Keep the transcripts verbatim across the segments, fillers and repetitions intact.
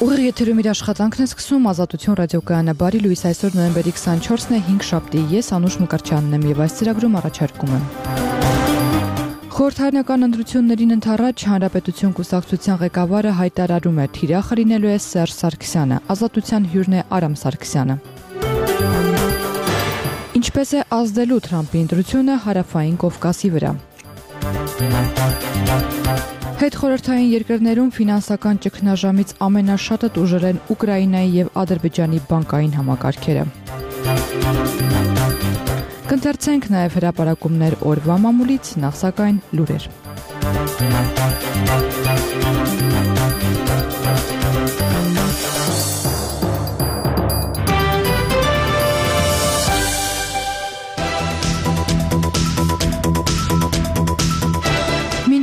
Ուղիղ եթերում իր աշխատանքն է սկսում Ազատություն ռադիոկայանը բարի լույս այսօր նոյեմբերի քսանչորսն է հինգ շաբթի ես Անուշ Մկրտչյանն եմ եւ այս ծրագրում առաջարկում եմ Խորհրդարանական ընտրություններին ընդառաջ Հանրապետություն կուսակցության ղեկավարը հայտարարում է թիրախը լինելու է Սերժ Սարգսյանը, Ազատության հյուրն է Արամ Սարգսյանը Ինչպես է ազդելու Թրամփի ընտրությունը Հարավային Կովկասի վրա Հետխորհրդային երկրներում ֆինանսական ճգնաժամից ամենաշատը տուժել են Ուկրաինայի եւ Ադրբեջանի բանկային համակարգերը։ Կընթերցենք նաեւ հրապարակումներ օրվա մամուլից, նախ սակայն լուրեր։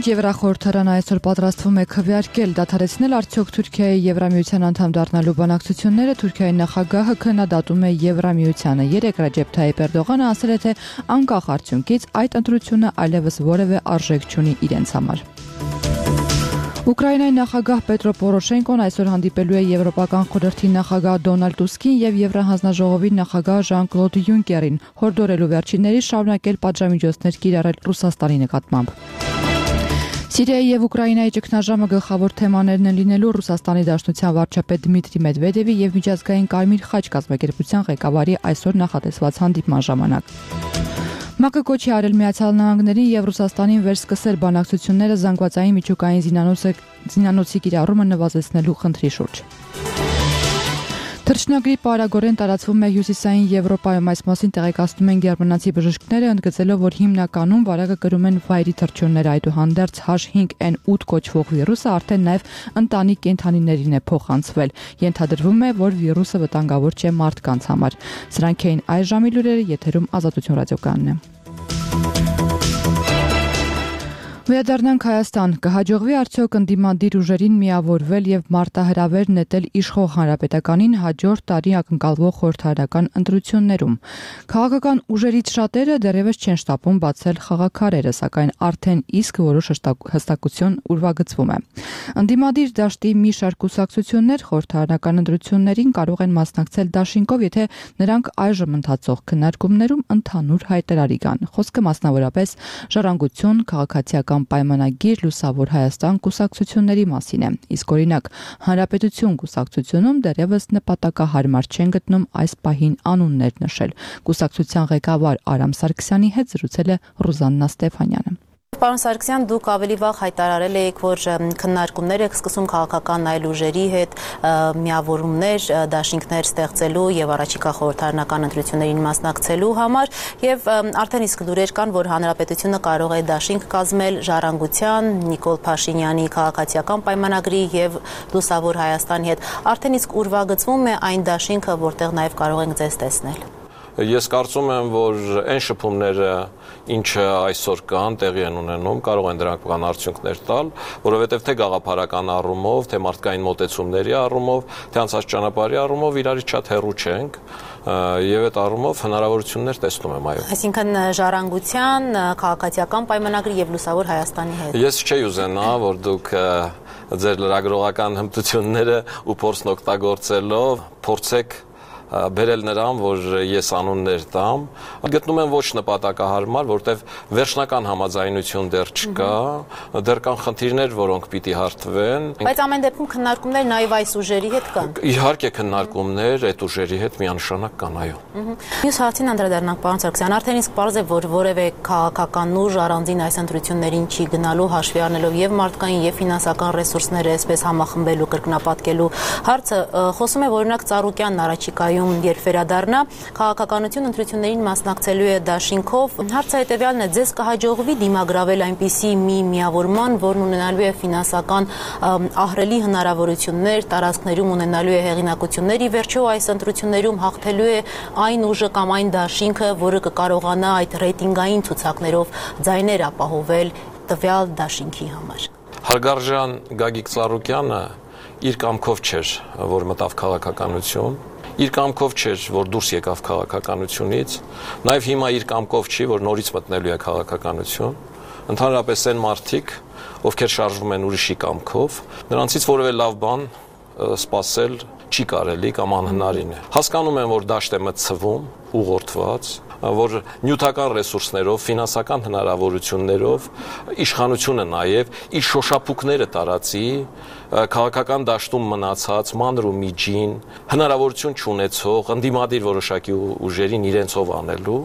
Եվրախորհրդարանը այսօր պատրաստվում է քվեարկել դադարեցնել արդյոք Թուրքիայի Եվրամիության անդամ դառնալու բանակցությունները Թուրքիայի նախագահը քննադատում է Եվրամիությանը։ Երեկ Ռաջեփ Թայիփ Էրդողանը ասել է, թե անկախ արդյունքից այդ ընտրությունը այլևս որևէ արժեք չունի իրենց համար։ Ուկրաինայի նախագահ Պետրո Պորոշենկոն այսօր հանդիպելու է Եվրոպական խորհրդի նախագահ Դոնալդ Տուսկին եւ Եվրահանձնաժողովի նախագահ Ժան-Կլոդ Յունկերին, հորդորելու վերջինների շարունակել պատժամիջոցներ կիրառել Ռուսաստանի նկատմամբ։ Սիրիայի եւ Ուկրաինայի ճգնաժամը գլխավոր թեմաներն են լինելու Ռուսաստանի Դաշնության վարչապետ Դմիտրի Մեդվեդևի եւ միջազգային Կարմիր խաչ կազմակերպության ղեկավարի այսօր նախատեսված հանդիպման ժամանակ։ ՄԱԿ-ը կոչ է արել Միացյալ Նահանգներին եւ Ռուսաստանին վերսկսել բանակցությունները զանգվածային միջուկային զինանոցի կիրառումը նվազեցնելու խնդրի շուրջ։ Թռչնագրիպը արագորեն տարածվում է հյուսիսային Եվրոպայում, այս մասին տեղեկացնում են գերմանացի բժիշկները, ընդգծելով, որ հիմնականում վարակը կրում են վայրի թռչունները, այդուհանդերձ H five N eight կոչվող վիրուսը արդեն նաև ընտանիք կենդանիներին է փոխանցվել։ Ենթադրվում է, որ վիրուսը վտանգավոր չէ մարդկանց համար։ Սրանք էին այս ժամի լուրերը, եթերում Ազատություն ռադիոկայանն է։ Վերադառնանք Հայաստան, կհաջողվի արդյոք ընդդիմադիր ուժերին միավորվել եւ մարտահրավեր նետել իշխող հանրապետականին հաջորդ տարի ակնկալվող խորհրդարանական ընտրություններում։ Քաղաքական ուժերից շատերը դեռևս չեն շտապում բացել խաղաքարերը, սակայն արդեն իսկ որոշ հստակություն ուրվագծվում է։ Ընդդիմադիր դաշտի մի շարք կուսակցություններ խորհրդարանական ընտրություններին կարող են մասնակցել դաշինքով, եթե նրանք այժմ ընթացող քննարկումներում ընդհանուր հայտարարի կան։ Խոսքը մասնավորապես ժառանգություն, քաղաքացիական պայմանագիր Լուսավոր Հայաստան կուսակցությունների մասին է։ Իսկ օրինակ Հանրապետություն կուսակցությունում դեռևս նպատակահարմար չեն գտնում այս պահին անուններ նշել։ Կուսակցության ղեկավար Արամ Սարգսյանի հետ զրուցել է Ռուզաննա Ստեփանյանը։ Պարոն Սարգսյան, դուք ավելի վաղ հայտարարել եք, որ քննարկումներ եք սկսում քաղաքական այլ ուժերի հետ, միավորումներ, դաշինքներ ստեղծելու եւ առաջիկա խորհրդարանական ընտրություններին մասնակցելու համար, եւ արդեն իսկ լուրեր կան, որ Հանրապետությունը կարող է դաշինք կազմել Ժառանգության, Նիկոլ Փաշինյանի քաղաքացիական պայմանագրի եւ Լուսավոր Հայաստանի հետ։ Արդեն իսկ ուրվագծվում է այն դաշինքը, որտեղ նաեւ կարող ենք ձեզ տեսնել։ Ես կարծում եմ, որ այն շփումները, ինչը այսօր կան, տեղի են ունենում, կարող են դրանք կան արդյունքներ տալ, որովհետև թե գաղափարական առումով, թե մարդկային մոտեցումների առումով, թե անցած ճանապարհի առումով իրարից շատ հեռու չենք, եւ այդ առումով հնարավորություններ տեսնում եմ, այո։ Այսինքն Ժառանգության, քաղաքացիական պայմանագրի եւ Լուսավոր Հայաստանի հետ։ Ես չէի ուզենա, որ դուք ձեր լրագրողական հմտությունները ու փորձն օգտագործելով փորձեք բերել նրան, որ ես անուններ տամ, գտնում եմ ոչ նպատակահարմար, որտեվ վերջնական համաձայնություն դեռ չկա, դեռ կան խնդիրներ, որոնք պիտի հարթվեն։ Բայց ամեն դեպքում քննարկումներ նաև այս ուժերի հետ կան։ Իհարկե քննարկումներ այդ ուժերի հետ միանշանակ կան, այո։ Մյուս հարցին անդրադառնանք, պարոն Սարգսյան, արդեն իսկ պարզ է, որ որևէ քաղաքական ուժ առանձին այս ընտրություններին չի գնալու, հաշվի առնելով եւ մարդկային եւ ֆինանսական ռեսուրսները այսպես համախմբելու, կրկնապատկելու հարցը խոսում է, որ օրինակ Ծառուկյանն առաջիկայում երբ վերադառնա, քաղաքականություն ընտրություններին մասնակցելու է դաշինքով։ Հարցը հետևյալն է, ձեզ կհաջողվի դիմագրավել այնպիսի մի միավորման, որն ունենալու է ֆինանսական ահռելի հնարավորություններ, տարածքներում ունենալու է հեղինակություններ, ի վերջո այս ընտրություններում հաղթելու է այն ուժը կամ այն դաշինքը, որը կկարողանա այդ ռեյտինգային ցուցակներով ձայներ ապահովել տվյալ դաշինքի համար։ Հարգարժան Գագիկ Ծառուկյանը իր կամքով չէր, որ մտավ քաղաքականություն, իր կամքով չէր, որ դուրս եկավ քաղաքականությունից, նաև հիմա իր կամքով չի, որ նորից մտնելու է քաղաքականություն, ընդհանրապես այն մարդիկ, ովքեր շարժվում են ուրիշի կամքով, նրանցից որևէ լավ բան սպասել չի կարելի կամ անհնարին է։ Հասկանում եմ, որ դաշտ է մտցվում, ուղղորդված, որ նյութական ռեսուրսներով, ֆինանսական հնարավորություններով իշխանությունը նաև իր շոշափուկները տարածի քաղաքական դաշտում մնացած մանր ու միջին հնարավորություն չունեցող ընդդիմադիր որոշակի ուժերին իրենցով անելու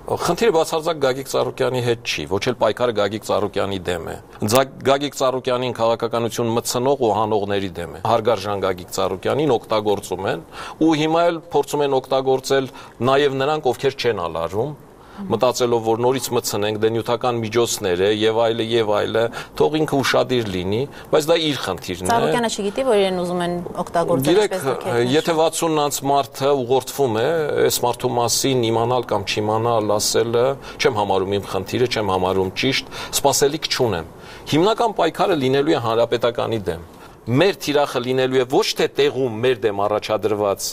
խնդիրը բացարձակ Գագիկ Ծառուկյանի հետ չի, ոչ էլ պայքարը Գագիկ Ծառուկյանի դեմ է։ Գագիկ Ծառուկյանին քաղաքականություն մտցնող ու հանողների դեմ է։ Հարգարժան Գագիկ Ծառուկյանին օգտագործում են ու հիմա էլ փորձում են օգտագործել նաև նրանք, ովքեր չեն ալարում, մտածելով, որ նորից մտցնենք դե նյութական միջոցներ է եւ այլը եւ այլը, թող ինքը ուշադիր լինի, բայց դա իր խնդիրն է։ Ծառուկյանը չգիտի, որ իրեն ուզում են օգտագործել այսպես դեպքում։ Եթե վաթսունից մարդը ուղղորդվում է, այս մարդու մասին իմանալ կամ չիմանալ, ասելը, չեմ համարում իմ խնդիրը, չեմ համարում ճիշտ, սպասելիք չունեմ։ Հիմնական պայքարը լինելու է հանրապետականի դեմ։ Մեր թիրախը լինելու է ոչ թե տեղում մեր դեմ առաջադրված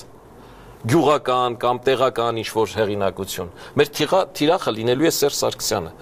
գյուղական կամ տեղական ինչ-որ հեղինակություն։ Մեր թիրախը լինելու է Սերժ Սարգսյանը։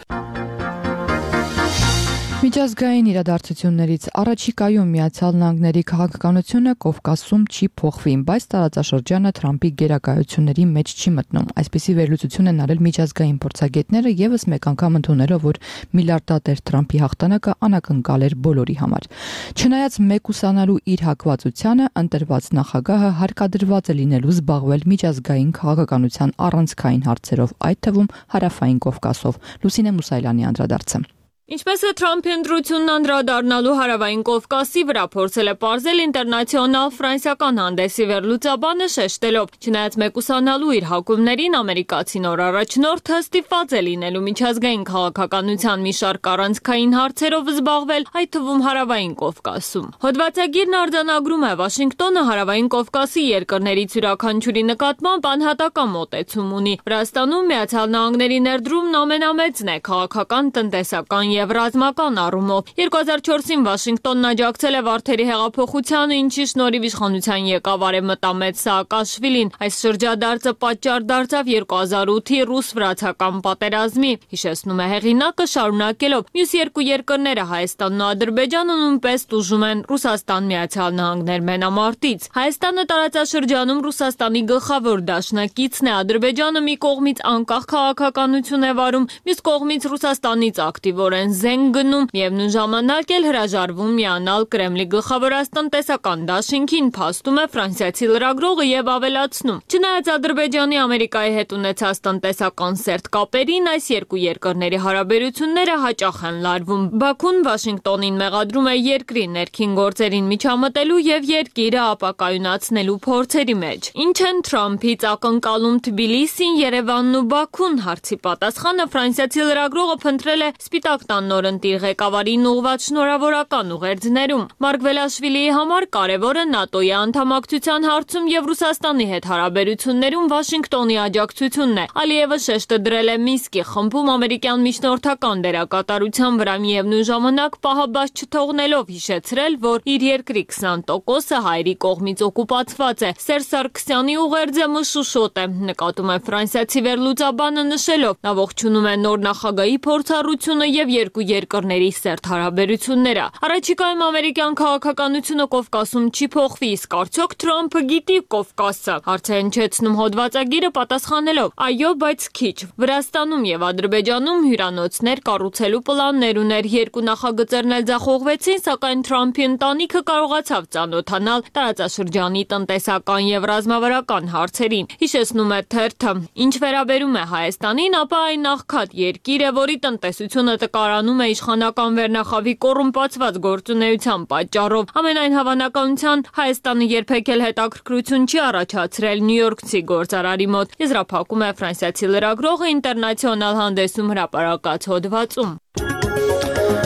Միջազգային իրադարձություններից առաջիկայում Միացյալ Նահանգների քաղաքականությունը Կովկասում չի փոխվի, բայց տարածաշրջանը Թրամփի գերակայությունների մեջ չի մտնում։ Այսպիսի վերլուծություն են արել միջազգային փորձագետները եւս մեկ անգամ ընդունելով, որ միլիարդատեր Թրամփի հաղթանակը անակնկալ էր բոլորի համար։ Չնայած մեկուսանալու իր հակվածությանը, ընտրված նախագահը հարկադրված է լինելու զբաղվել միջազգային քաղաքականության առանցքային հարցերով, այդ թվում հարավային Կովկասով։ Լուսինե Մուսայելյանի անդրադարձը։ Ինչպես է Թրամփի ընտրությունն անդրադառնալու հարավային Կովկասի վրա փորձել է պարզել ինտերնացիոնալ ֆրանսիական հանդեսի վերլուծաբանը շեշտելով, չնայած մեկուսանալու իր հակումներին ամերիկացի նոր առաջնորդը ստիպված է լինելու միջազգային քաղաքականության մի շարք առանցքային հարցերով զբաղվել, այդ թվում հարավային Կովկասում։ Հոդվածագիրն արձանագրում է Վաշինգտոնը հարավային Կովկասի երկրներից յուրաքանչյուրի նկատմամբ անհատական մոտեցում ունի։ Վրաստանում Միացյալ Նահանգների ներդրումն ամենամեծն է քաղաքական, տնտեսական եւ ռազմական առումով։ երկու հազար չորսին Վաշինգտոնն աջակցել է Վարդերի հեղափոխությանը, ինչի շնորհիվ իշխանության եկավ արևմտամետ Սաակաշվիլին։ Այս շրջադարձը պատճառ դարձավ երկու հազար ութի ռուս-վրացական պատերազմի։ Հիշեցնում է հեղինակը, շարունակելով. մյուս երկու երկրները Հայաստանն ու Ադրբեջանը նույնպես տուժում են Ռուսաստան-Միացյալ Նահանգներ մենամարտից։ Հայաստանը տարածաշրջանում Ռուսաստանի գլխավոր դաշնակիցն է, Ադրբեջանը մի կողմից անկախ քաղաքականություն է վարում, մյուս կողմից Ռուսաստանից ակտիվորեն զենք գնում, միևնույն ժամանակ էլ հրաժարվում միանալ Կրեմլի գլխավորած տնտեսական դաշինքին, փաստում է ֆրանսիացի լրագրողը եւ ավելացնում. Չնայած Ադրբեջանի Ամերիկայի հետ ունեցած տնտեսական սերտ կապերին, այս երկու երկրների հարաբերությունները հաճախ են լարվում։ Բաքուն Վաշինգտոնին մեղադրում է երկրի ներքին գործերին միջամտելու եւ երկիրը ապակայունացնելու փորձերի մեջ։ Ինչ են Թրամփից ակնկալում Թբիլիսին, Երևանն ու Բաքուն, հարցի պատասխանը ֆրանսիացի լրագրողը փնտրել է Սպիտակ տան նորընտիր ղեկավարին ուղղված շնորհավորական ուղերձներում։ Մարգվելաշվիլիի համար կարևոր է ՆԱՏՕ-ի անդամակցության հարցում եւ Ռուսաստանի հետ հարաբերություններում Վաշինգտոնի աջակցությունն է։ Ալիևը շեշտը դրել է Մինսկի խմբում ամերիկյան միջնորդական դերակատարության վրա, միևնույն ժամանակ պահաբաց չթողնելով հիշեցրել, որ իր երկրի քսան տոկոսը հայերի կողմից օկուպացված է։ Սերժ Սարգսյանի ուղերձը մշուշոտ է, նկատում է ֆրանսիացի վերլուծաբանը նշելով. նա ողջունում է նոր նախագահի փորձառությունը եւ երկու երկրների սերտ հարաբերությունները։ Առաջիկայում ամերիկյան քաղաքականությունը Կովկասում չի փոխվի, իսկ արդյոք Թրամփը գիտի Կովկասը։ Հարց է հնչեցնում հոդվածագիրը պատասխանելով. այո, բայց քիչ։ Վրաստանում եւ Ադրբեջանում հյուրանոցներ կառուցելու պլաններ ուներ, երկու նախագծերն էլ ձախողվեցին, սակայն Թրամփի ընտանիքը կարողացավ ծանոթանալ տարածաշրջանի տնտեսական եւ ռազմավարական հարցերին։ Հիշեցնում է թերթը. ինչ վերաբերում է Հայաստանին, ապա այն աղքատ երկիր է, որի տնտեսությունը տկարանում է իշխանական վերնախավի կոռումպացված գործունեության պատճառով։ Ամենայն հավանականության Հայաստանը երբեք էլ հետաքրքրություն չի առաջացրել նյույորքցի գործարարի մոտ, եզրափակում է ֆրանսիացի լրագրողը ինտերնացիոնալ հանդեսում հրապարակած հոդվածում։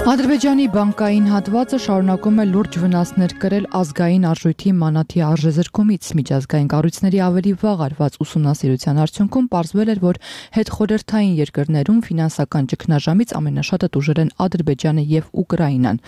Ադրբեջանի բանկային հատվածը շարունակում է լուրջ վնասներ կրել ազգային արժույթի մանաթի արժեզրկումից։ Միջազգային կառույցների ավելի վաղ արված ուսումնասիրության արդյունքում պարզվել էր, որ հետխորհրդային երկրներում ֆինանսական ճգնաժամից ամենաշատը տուժել են Ադրբեջանը եւ Ուկրաինան։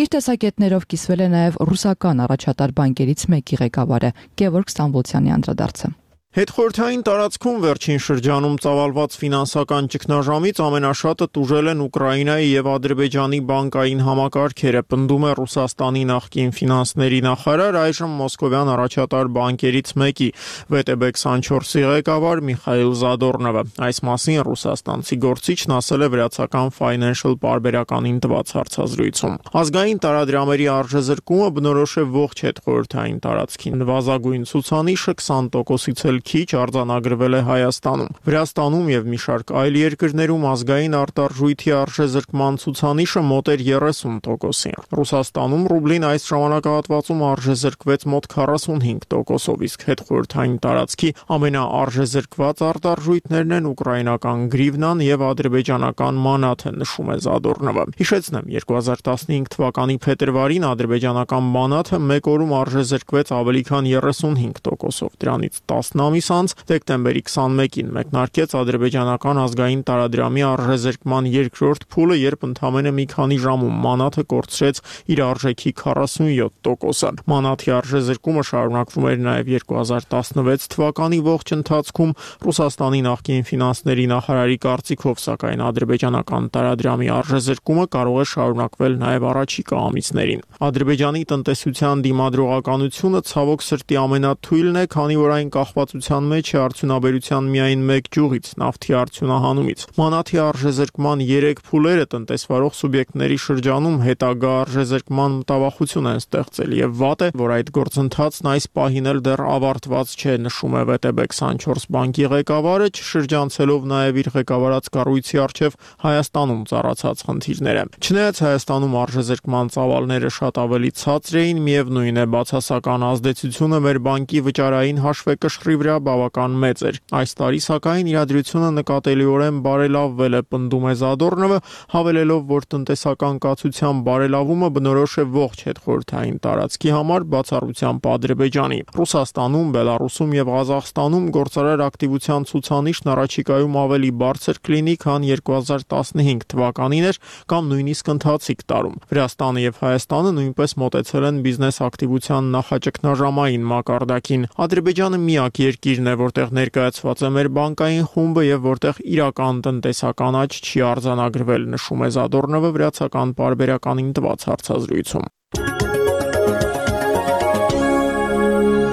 Իր տեսակետներով կիսվել է նաեւ ռուսական առաջատար բանկերից մեկի ղեկավարը Գևորգ Ստամբոլցյանի անդրադարձը։ Հետխորհրդային տարածքում վերջին շրջանում ծավալված ֆինանսական ճգնաժամից ամենաշատը տուժել են Ուկրաինայի եւ Ադրբեջանի բանկային համակարգերը, պնդում է Ռուսաստանի նախկին ֆինանսների նախարար, այժմ մոսկովյան առաջատար բանկերից մեկի վե տե բե քսանչորսի ղեկավար Միխայիլ Զադորնովը։ Այս մասին ռուսաստանցի գործիչն ասել է վրացական Financial պարբերականին տված հարցազրույցում։ Ազգային տարադրամերի արժեզրկումը բնորոշ է ողջ հետխորհրդային տարածքին։ Նվազագույն ցուցանիշը քսան տոկոսից էլ քիչ արձանագրվել է Հայաստանում։ Վրաստանում եւ մի շարք այլ երկրներում ազգային արտարժույթի արժեզրկման ցուցանիշը մոտ էր երեսուն տոկոսի։ Ռուսաստանում ռուբլին այս ժամանակահատվածում արժեզրկվեց մոտ քառասունհինգ տոկոսով, իսկ հետխորհրդային տարածքի ամենաարժեզրկված արտարժույթներն են ուկրաինական գրիվնան եւ ադրբեջանական մանաթը, նշում է Զադորնովը։ Հիշեցնեմ, երկու հազար տասնհինգ թվականի փետրվարին ադրբեջանական մանաթը մեկ օրում արժեզրկվեց ավելի քան երեսունհինգ տոկոսով, դրանից տասն ամիս անց դեկտեմբերի քսանմեկին մեկնարկեց ադրբեջանական ազգային տարադրամի արժեզրկման երկրորդ փուլը, երբ ընդամենը մի քանի ժամում մանաթը կորցրեց իր արժեքի քառասունյոթ տոկոսը։ Մանաթի արժեզրկումը շարունակվում էր նաև երկու հազար տասնվեց թվականի ողջ ընթացքում։ Ռուսաստանի նախկին ֆինանսների նախարարի կարծիքով, սակայն ադրբեջանական տարադրամի արժեզրկումը կարող է շարունակվել նաև առաջիկա ամիսներին։ Ադրբեջանի տնտեսության դիմադրողականությունը ցավոք սրտի ամենաթույլն է, քանի որ այն կախվածության մեջ է արդյունաբերության միայն մեկ ճյուղից՝ նավթի արդյունահանումից։ Մանաթի արժեզրկման երեք փուլերը տնտեսվարող սուբյեկտների շրջանում հետագա արժեզրկման մտավախություն են ստեղծել եւ վատ է, որ այդ գործընթացն այս պահին էլ դեռ ավարտված չէ, նշում է վե տե բե քսանչորս բանկի ղեկավարը, չշրջանցելով նաեւ իր ղեկավարած կառույցի առջև Հայաստանում ծառացած խնդիրները։ Չնայած Հայաստանում արժեզրկման ծավալները շատ ավելի ցածր էին, միևնույն է բացասական ազդեցությունը մեր բանկի վճարային հաշվեկշռի վրա բավական մեծ էր։ Այս տարի սակայն իրադրությունը նկատելիորեն բարելավվել է, պնդում է Զադորնովը, հավելելով, որ տնտեսական կացության բարելավումը բնորոշ է ողջ հետխորհրդային տարածքի համար, բացառությամբ Ադրբեջանի։ Ռուսաստանում, Բելարուսում եւ Ղազախստանում գործարար ակտիվության ցուցանիշն առաջիկայում ավելի բարձր կլինի, քան երկու հազար տասնհինգ թվականին էր կամ նույնիսկ ընթացիկ տարում։ Վրաստանը եւ Հայաստանը նույնպես մոտեցել են բիզնես ակտիվության նախաճգնաժամային մակարդակին։ Ադրբեջանը միակ երկիրն է, որտեղ ներկայացված է մեր բանկային խումբը եւ որտեղ իրական տնտեսական աճ չի արձանագրվել, նշում է Զադորնովը վրացական պարբերականին տված հարցազրույցում։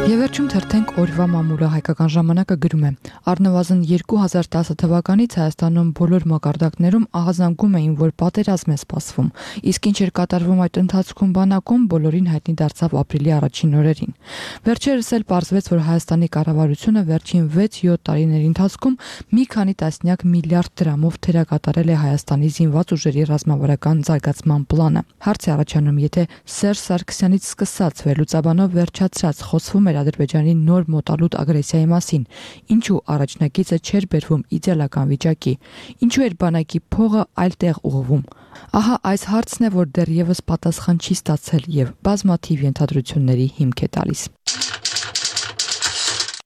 Եվ վերջում թերթենք օրվա մամուլը հայկական ժամանակը գրում է. առնվազն երկու հազար տասը թվականից Հայաստանում բոլոր մակարդակներում ահազանգում էին, որ պատերազմ է սպասվում, իսկ ինչ էր կատարվում այդ ընթացքում բանակում, բոլորին հայտնի դարձավ ապրիլի առաջին օրերին։ Վերջերս էլ պարզվեց, որ Հայաստանի կառավարությունը վերջին վեց-յոթ տարիների ընթացքում մի քանի տասնյակ միլիարդ դրամով թերակատարել է Հայաստանի զինված ուժերի ռազմավարական զարգացման պլանը։ Հարց է առաջանում, եթե Սերժ Սարգսյանից սկսած վերլուծաբանով վերջացրած խոսվում էր Ադրբեջանի նոր մոտալուտ ագրեսիայի մասին, ինչու առաջնակիցը չէր բերվում իդեալական վիճակի, ինչու էր բանակի փողը այլ տեղ ուղղվում։ Ահա այս հարցն է, որ դեռևս պատասխան չի ստացել եւ բազմաթիվ ենթադրությունների հիմք է տալիս։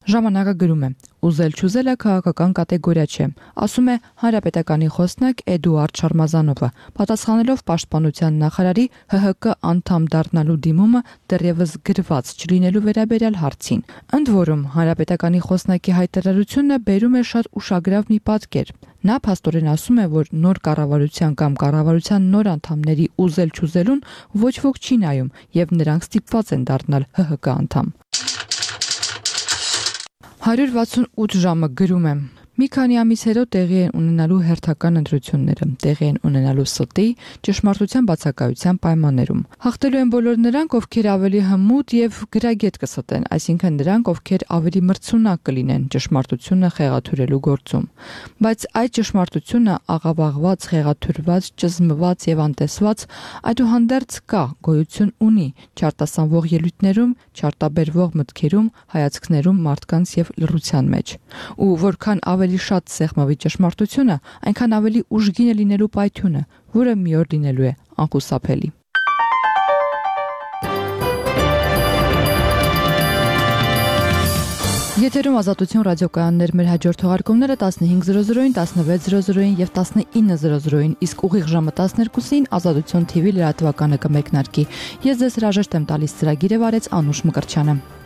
Ժամանակը գրում է. ուզել-չուզելը քաղաքական կատեգորիա չէ, ասում է Հանրապետականի խոսնակ Էդուարդ Շարմազանովը, պատասխանելով Պաշտպանության նախարարի հ հ կը անդամ դառնալու դիմումը դեռևս գրված չլինելու վերաբերյալ հարցին։ Ընդ որում, Հանրապետականի խոսնակի հայտարարությունը բերում է շատ ուշագրավ մի պատկեր։ Նա փաստորեն ասում է, որ նոր կառավարության կամ կառավարության նոր անդամների ուզել-չուզելուն ոչ ոք չի նայում եւ նրանք ստիպված են դառնալ հ հ կը անդամ։ հարյուր վաթսունութ ժամը գրում եմ. Մի քանի ամիս հետո տեղի են ունենալու հերթական ընտրությունները, տեղի են ունենալու ստի, ճշմարտության բացակայության պայմաններում։ Հաղթելու են բոլոր նրանք, ովքեր ավելի հմուտ եւ գրագետ կստեն, այսինքն նրանք, ովքեր ավելի մրցունակ կլինեն ճշմարտությունը խեղաթյուրելու գործում։ Բայց այդ ճշմարտությունը աղավաղված, խեղաթյուրված, ճզմված եւ անտեսված այդուհանդերձ կա, գոյություն ունի չարտասանվող ելույթներում, չարտաբերվող մտքերում, հայացքներում, մարդկանց եւ լռության մեջ։ Ու որքան ավելի շատ սեղմավի ճշմարտությունը, այնքան ավելի ուժգին է լինելու պայթյունը, որը մի օր լինելու է անխուսափելի։ Եթերում Ազատություն ռադիոկայաններ, մեր հաջորդ թողարկումները տասնհինգ զրո զրոին, տասնվեց զրո զրոին եւ տասնինը զրո զրոին, իսկ ուղիղ ժամը տասներկուսին Ազատություն թի վի լրատվականը կմեկնարկի։ Ես ձեզ հրաժեշտ եմ տալիս, ծրագիրը վարեց Անուշ Մկրտչյանը։